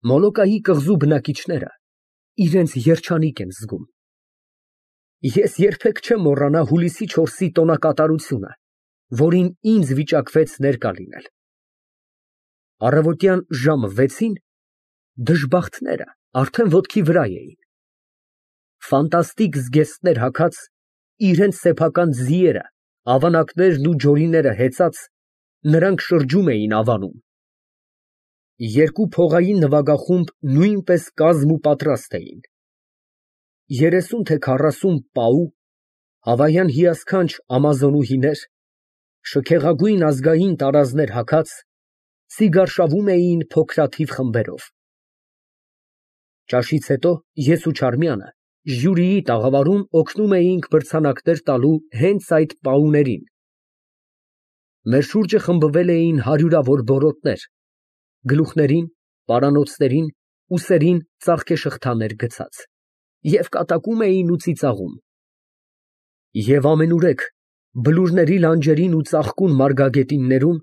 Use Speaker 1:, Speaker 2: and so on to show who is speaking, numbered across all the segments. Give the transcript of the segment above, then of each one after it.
Speaker 1: Մոլոկայի կղզու բնակիչները իրենց երջանիկ են զգում։ Ես երբեք չեմ մոռանա հուլիսի 4-ի տոնակատարությունը, որին ինձ վիճակվեց ներկա լինել։ Առավոտյան ժամը 6-ին դժբախտները արդեն ոտքի վրա էին։ Ֆանտաստիկ զգեստներ հագած, իրենց սեփական ձիերը, ավանակներն ու ջորիները հեծած, նրանք շրջում էին ավանում։ Երկու փողային նվագախումբ նույնպես կազմ ու պատրաստ էին։ 30 թե 40 պահու, հավայան հիասքանչ ամազոնուհիներ, շքեղագույն ազգային տարազներ հագած, ցիգարշավում էին փոքրաթիվ խմբերով։ Ճաշից հետո ես ու Չարմյանը ժյուրիի տաղավարում օգնում էինք մրցանակներ տալու հենց այդ պահուներին։ Մեր շուրջը խմբվել էին հարյուրավոր բորոտներ, գլուխներին, պարանոցներին, ուսերին ծաղկեշղթաներ գցած, և կատակում էին ու ծիծաղում։ Եվ ամենուրեք բլուրների լանջերին ու ծաղկուն մարգագետիններում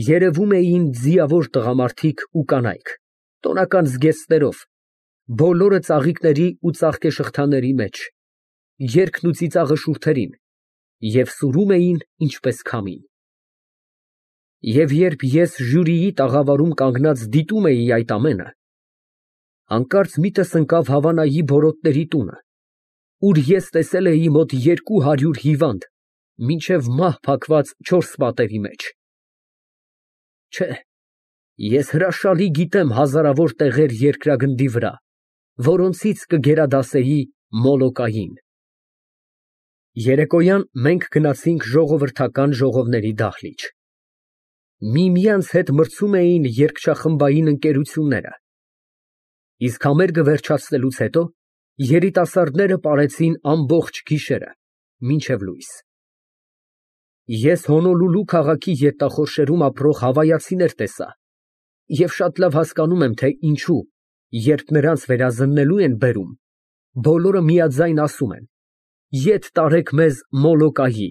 Speaker 1: երևում էին ձիավոր տղամարդիկ ու կանայք, տոնական զգեստներով, բոլորը ծաղիկների ու ծաղկեշղթաների մեջ, երգն ու ծիծաղը շուրթերին, և սուրում էին ինչպես քամին։ Եվ երբ ես ժյուրիի տաղավարում կանգնած դիտում էի այդ ամենը, հանկարծ միտս ընկավ Հավանայի բորոտների տունը, ուր ես տեսել էի մոտ 200 հիվանդ, մինչև մահ փակված 4 պատերի մեջ։ Չէ, ես հրաշալի գիտեմ հազարավոր տեղեր երկրագնդի վրա, որոնցից կգերադասեի Մոլոկային։ Երեկոյան մենք գնացինք ժողովրդական ժողովների դահլիճ։ Միմյանց հետ մրցում էին երգչախմբային ընկերությունները, իսկ համերգը վերջացնելուց հետո երիտասարդները պարեցին ամբողջ գիշերը, մինչև լույս։ Ես Հոնոլուլու քաղաքի գետախորշերում ապրող հավայացիներ տեսա և շատ լավ հասկանում եմ, թե ինչու, երբ նրանց վերազննելու են բերում, բոլորը միաձայն ասում են. «Ետ տարեք մեզ Մոլոկայի»։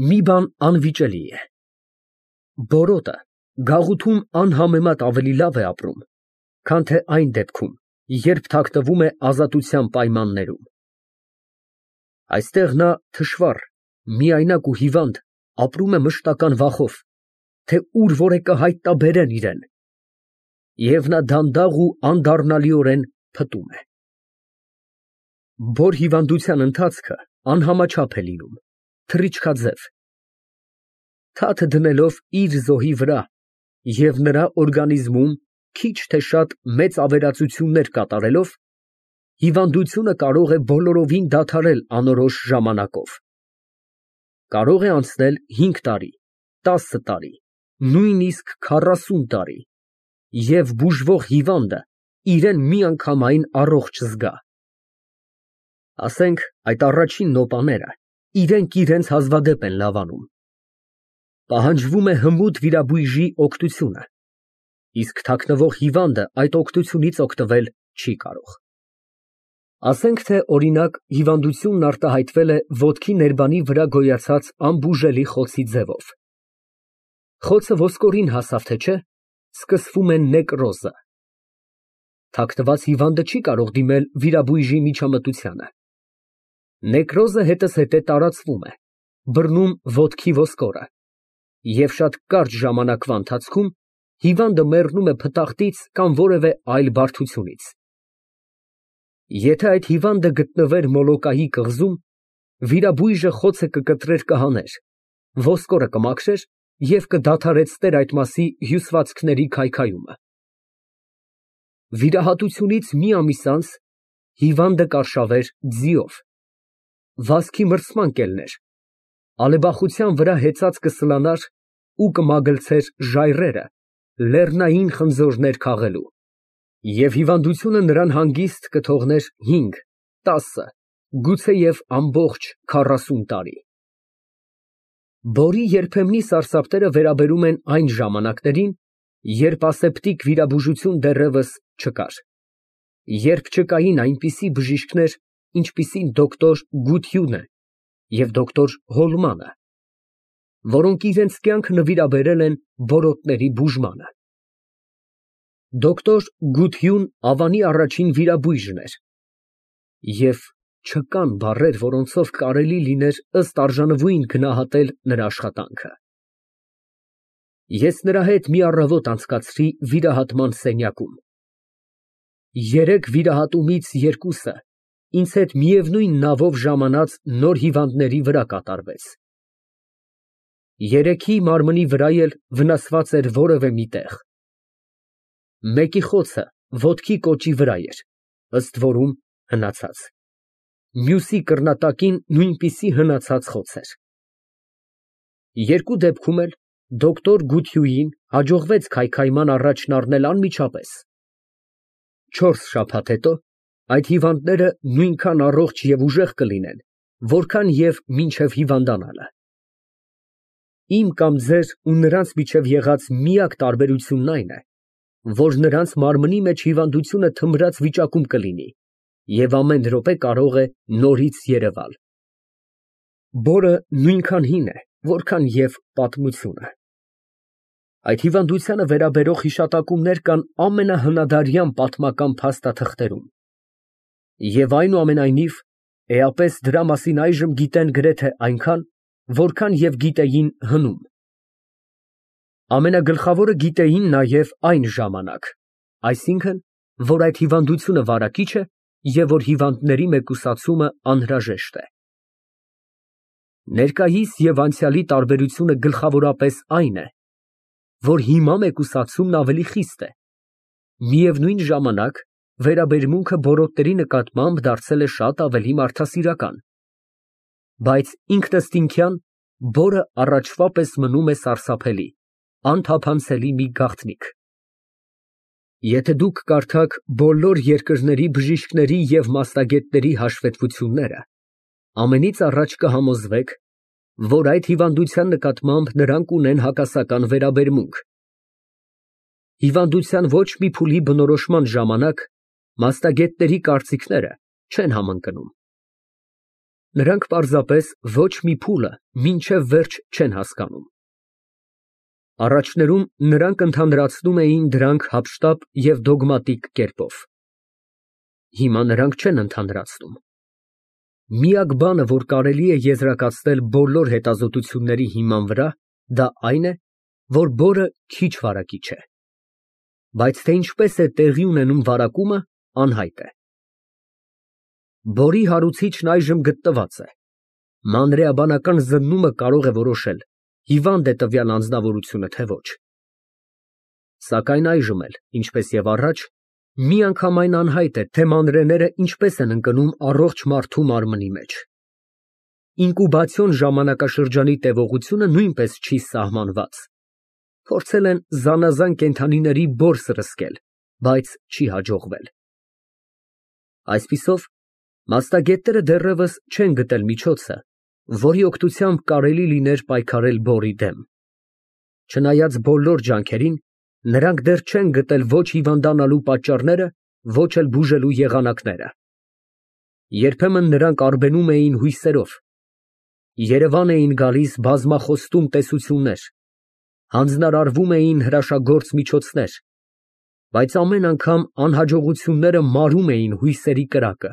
Speaker 1: Մի բան անվիճելի է. բորոտը գաղութում անհամեմատ ավելի լավ է ապրում, քան թե այն դեպքում, երբ թաքնվում է ազատության պայմաններում։ Այստեղ նա թշվառ, միայնակ ու հիվանդ ապրում է մշտական վախով, թե ուր որ է կհայտնաբերեն իրան, և նա դանդաղ ու անդառնալիորեն փտում է։ Բոր հիվանդության ընթացքը անհամաչափ է լինում, թռիչքաձև։ Թաթ դնելով իր զոհի վրա և նրա օրգանիզմում քիչ թե շատ մեծ ավերածություններ կատարելով, հիվանդությունը կարող է բոլորովին դադարել անորոշ ժամանակով։ Կարող է անցնել 5 տարի, 10 տարի, նույնիսկ 40 տարի, և բուժվող հիվանդը իրան միանգամայն առողջ զգա։ Ասենք, այդ առաջին նոպաները իրենք իրենց հազվադեպ են լավանում։ Պահանջվում է հմուտ վիրաբույժի օգնությունը, իսկ թաքնվող հիվանդը այդ օգնությունից օգտվել չի կարող։ Ասենք, թե օրինակ, հիվանդությունն արտահայտվել է ոտքի ներբանի վրա գոյացած անբուժելի խոցի ձևով։ Խոցը ոսկորին հասավ, թե չէ, սկսվում է նեկրոզը։ Թաքնված հիվանդը չի կարող դիմել վիրաբույժի միջամտությանը։ Նեկրոզը հետզհետե տարածվում է, բռնում ոտքի ոսկորը, և շատ կարճ ժամանակվա ընթացքում հիվանդը մեռնում է փտախտից կամ որևէ այլ բարդությունից։ Եթե այդ հիվանդը գտնվեր Մոլոկայի կղզում, վիրաբույժը խոցը կկտրեր կհաներ, ոսկորը կմաքրեր և կդադարեցներ այդ մասի հյուսվածքների քայքայումը։ Վիրահատությունից մի ամիս անց հիվանդը կարշավեր ձիով, վազքի մրցման կելներ, ալեբախության վրա հեծած կսլանար ու կմագլցեր ժայռերը լեռնային խնձորներ քաղելու, և հիվանդությունը նրան հանգիստ կթողներ 5, 10, գուցեև ամբողջ 40 տարի։ Բորի երբեմնի սարսափները վերաբերում են այն ժամանակներին, երբ ասեպտիկ վիրաբուժություն դեռևս չկար, երբ չկային այնպիսի բժիշկներ, ինչպիսին դոկտոր Գությունը և դոկտոր Հոլմանը, որոնք իրենց կյանքը նվիրաբերել են բորոտների բուժմանը։ Դոկտոր Գություն Ավանի առաջին վիրաբույժն էր, և չկան բառեր, որոնցով կարելի լիներ ըստ արժանվույն գնահատել նրա աշխատանքը։ Ես նրա հետ մի առավոտ անցկացրի վիրահատման սենյակում։ Երեք վիրահատումից երկուսը ինձ հետ միևնույն նավով ժամանած նոր հիվանդների վրա կատարվեց։ Երեքի մարմնի վրա էլ վնասված էր որևէ մի տեղ։ Մեկի խոցը ոտքի կոճի վրա էր, ըստ որում հնացած, մյուսի կռնատակին նույնպիսի հնացած խոց էր։ Երկու դեպքում էլ դոկտոր Գություին հաջողվեց քայքայման առաջն առնել անմիջապես։ 4 շաբաթ հետո այդ հիվանդները նույնքան առողջ և ուժեղ կլինեն, որքան և մինչև հիվանդանալը։ Իմ կամ ձեր ու նրանց միջև եղած միակ տարբերությունն այն է, որ նրանց մարմնի մեջ հիվանդությունը թմրած վիճակում կլինի և ամեն րոպե կարող է նորից երևալ։ Բորը նույնքան հին է, որքան և պատմությունը։ Այդ հիվանդությանը վերաբերող հիշատակումներ կան ամենահնադարյան պատմական փաստաթղթերում, և այնուամենայնիվ էապես դրա մասին այժմ գիտեն գրեթե այնքան, որքան և գիտեին հնում։ Ամենագլխավորը գիտեին նաև այն ժամանակ, այսինքն, որ այդ հիվանդությունը վարակիչ է և որ հիվանդների մեկուսացումը անհրաժեշտ է։ Ներկայիս և անցյալի տարբերությունը գլխավորապես այն է, որ հիմա մեկուսացումն ավելի խիստ է, միևնույն ժամանակ վերաբերմունքը բորոտների նկատմամբ դարձել է շատ ավելի մարդասիրական, բայց ինքնըստինքյան բորը առաջվա պես մնում է սարսափելի, անթափանցելի մի գաղտնիք։ Եթե դուք կարդաք բոլոր երկրների բժիշկների և մասնագետների հաշվետվությունները, ամենից առաջ կհամոզվեք, որ այդ հիվանդության նկատմամբ նրանք ունեն հակասական վերաբերմունք։ Հիվանդության ոչ մի փուլի բնորոշման ժամանակ մասնագետների կարծիքները չեն համընկնում։ Նրանք պարզապես ոչ մի փուլը մինչև վերջ չեն հասկանում։ Առաջներում նրանք ընդհանրացնում էին դրանք հափշտապ և դոգմատիկ կերպով։ Հիմա նրանք չեն ընդհանրացնում։ Միակ բանը, որ կարելի է եզրակացնել բոլոր հետազոտությունների հիման վրա, դա այն է, որ բորը քիչ վարակիչ է, բայց թե ինչպես է տեղի ունենում վարակումը, անհայտ է։ Բորի հարուցիչն այժմ գտնված է։ Մանրէաբանական զննումը կարող է որոշել հիվանդ է տվյալ անձնավորությունը, թե ոչ։ Սակայն այժմ էլ, ինչպես և առաջ, միանգամայն անհայտ է, թե մանրեները ինչպես են ընկնում առողջ մարդու մարմնի մեջ։ Ինկուբացիոն ժամանակաշրջանի տևողությունը նույնպես չի սահմանված։ Փորձել են զանազան կենդանիների բոր սրսկել, բայց չի հաջողվել։ Այսպիսով, մասնագետները դեռևս չեն գտել միջոցը, որի օգնությամբ կարելի լիներ պայքարել բորի դեմ։ Չնայած բոլոր ջանքերին, նրանք դեռ չեն գտել ոչ հիվանդանալու պատճառները, ոչ էլ բուժելու եղանակները։ Երբեմն նրանք արբենում էին հույսերով։ Երևան էին գալիս բազմախոստում տեսություններ, հանձնարարվում էին հրաշագործ միջոցներ, բայց ամեն անգամ անհաջողությունները մարում էին հույսերի կրակը։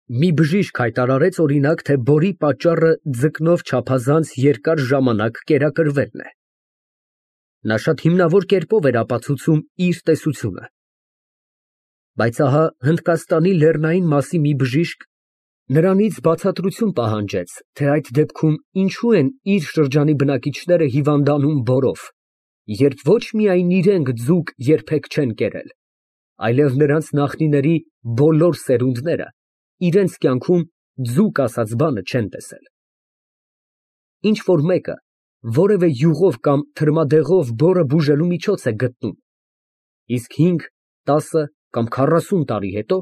Speaker 1: Մի բժիշկ հայտարարեց, օրինակ, թե բորի պատճառը ձկնով չափազանց երկար ժամանակ կերակրվելն է։ Նա շատ հիմնավոր կերպով էր ապացուցում իր տեսությունը։ Բայց ահա Հնդկաստանի լեռնային մասի մի բժիշկ նրանից բացատրություն պահանջեց, թե այդ դեպքում ինչու են իր շրջանի բնակիչները հիվանդանում բորով, երբ ոչ միայն իրենք ձուկ երբեք չեն կերել, այլև նրանց նախնիների բոլոր սերունդները իրենց կյանքում ձուկ ասած բանը չեն տեսել։ Ինչ որ մեկը որևէ յուղով կամ թրմադեղով բորը բուժելու միջոց է գտնում, իսկ 5, 10 կամ 40 տարի հետո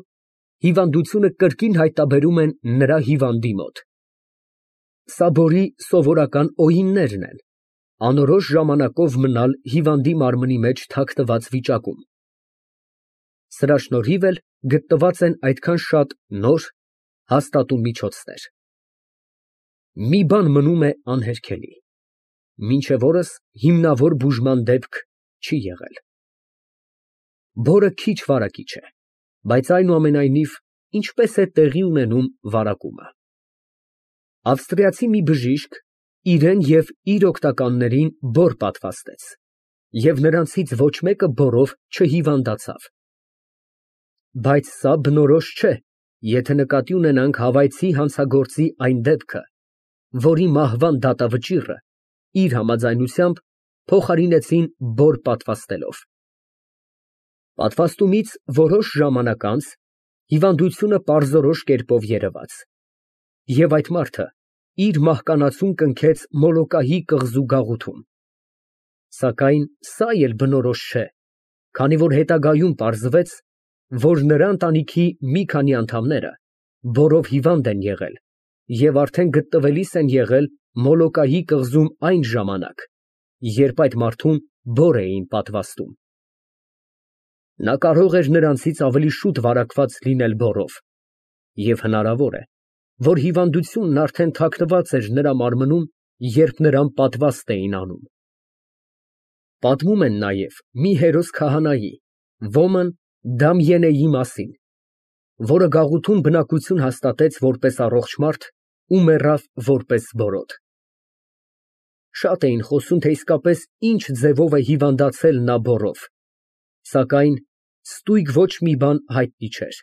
Speaker 1: հիվանդությունը կրկին հայտնաբերում են նրա հիվանդի մոտ։ Սա բորի սովորական օրինակներն են, անորոշ ժամանակով մնալ հիվանդի մարմնի մեջ թաքնված վիճակում։ Սրա շնորհիվ էլ գտնված են այդքան շատ նոր, հաստատուն միջոցներ։ Մի բան մնում է անհերքելի. մինչև օրս հիմնավոր բուժման դեպք չի եղել։ Բորը քիչ վարակիչ է, բայց այնուամենայնիվ ինչպես է տեղի ունենում վարակումը։ Ավստրիացի մի բժիշկ իրեն և իր օգնականներին բոր պատվաստեց, և նրանցից ոչ մեկը բորով չհիվանդացավ։ Բայց սա բնորոշ չէ, եթե նկատի ունենանք հավայցի հանցագործի այն դեպքը, որի մահվան դատավճիռը իր համաձայնությամբ փոխարինեցին բոր պատվաստելով։ Պատվաստումից որոշ ժամանակ անց հիվանդությունը պարզորոշ կերպով երևաց, և այդ մարդը իր մահկանացուն կնքեց Մոլոկայի կղզու գաղութում։ Սակայն սա էլ բնորոշ չէ, քանի որ հետագայում պարզվեց, որ նրա ընտանիքի մի քանի անդամները բորով հիվանդ են եղել և արդեն գտնվելիս են եղել Մոլոկայի կղզում այն ժամանակ, երբ այդ մարդուն բոր էին պատվաստում։ Նա կարող էր նրանցից ավելի շուտ վարակված լինել բորով, և հնարավոր է, որ հիվանդությունն արդեն թաքնված էր նրա մարմնում, երբ նրան պատվաստ էին անում։ Պատմում են նաև մի հերոս քահանայի՝ Ոմն Դամիենեի մասին, որը գաղութում բնակություն հաստատեց որպես առողջ մարդ ու մեռավ որպես բորոդ։ Շատ էին խոսում, թե իսկապես ինչ ձևով է հիվանդացել նա բորով, սակայն ստույգ ոչ մի բան հայտնի չէր։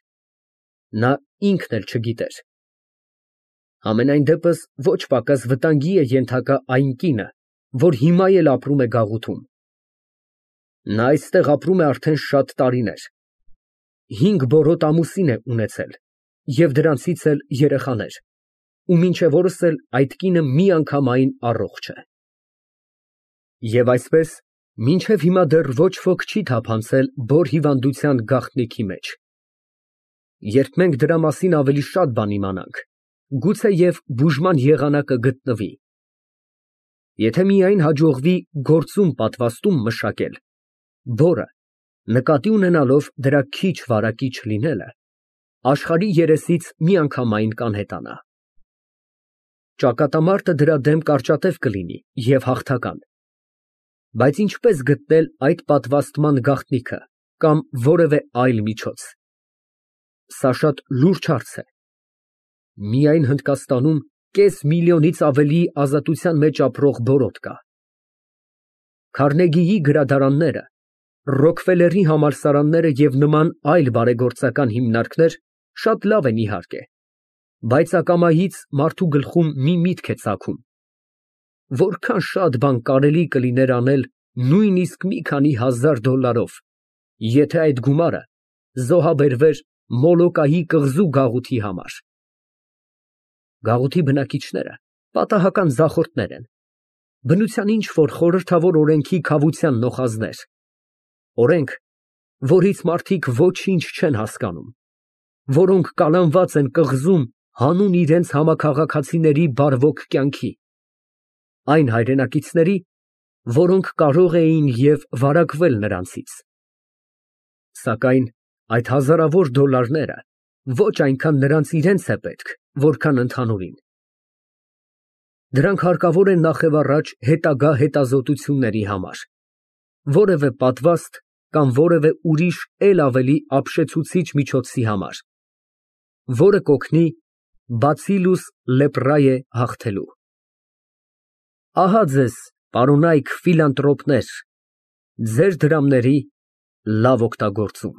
Speaker 1: Նա ինքն էլ չգիտեր։ Համենայն դեպս ոչ պակաս վտանգի է ենթակա այն կինը, որ հիմա էլ ապրում է գաղութում։ Նա այստեղ ապրում է արդեն շատ տարիներ, 5 բորոդ ամուսին է ունեցել և դրանցից էլ երեխաներ, ու մինչև օրս էլ այդ կինը միանգամայն առողջ է։ Եվ այսպես, մինչև հիմա դեռ ոչ ոք չի թափանցել բոր հիվանդության գաղտնիքի մեջ։ Երբ մենք դրա մասին ավելի շատ բան իմանանք, գուցեև բուժման եղանակը գտնվի։ Եթե միայն հաջողվի գործում պատվաստում մշակել, բորը, նկատի ունենալով դրա քիչ վարակիչ լինելը, աշխարհի երեսից միանգամայն կանհետանա։ Ճակատամարտը դրա դեմ կարճատև կլինի և հաղթական, բայց ինչպես գտնել այդ պատվաստման գաղտնիքը կամ որևէ այլ միջոց։ Սա շատ լուրջ հարց է։ Միայն Հնդկաստանում կես միլիոնից ավելի ազատության մեջ ապրող բորոդ կա։ Քարնեգիի գրադարանները, Ռոքֆելլերի համալսարանները և նման այլ բարեգործական հիմնարկներ շատ լավ են իհարկե, բայց ակամայից մարդու գլխում մի միտք է ծագում. որքան շատ բան կարելի կլիներ անել նույնիսկ մի քանի $1000, եթե այդ գումարը զոհաբերվեր Մոլոկայի կղզու գաղութի համար։ Գաղութի բնակիչները պատահական ձախորդներ են, բնության ինչ֊որ խորհրդավոր օրենքի քավության նոխազներ, օրենք, որից մարդիկ ոչինչ չեն հասկանում, որոնք կալանված են կղզում հանուն իրենց համաքաղաքացիների բարվոք կյանքի, այն հայրենակիցների, որոնք կարող էին և վարակվել նրանցից։ Սակայն այդ հազարավոր դոլարները ոչ այնքան նրանց իրենց է պետք, որքան ընդհանուրին։ Դրանք հարկավոր են նախևառաջ հետագա հետազոտությունների համար, որևէ պատվաստ կամ որևէ ուրիշ էլ ավելի ապշեցուցիչ միջոցի համար, որը կօգնի բացիլուս լեպրայե հաղթելու։ Ահա ձեզ, պարոնայք ֆիլանտրոպներ, ձեր դրամների լավ օգտագործում։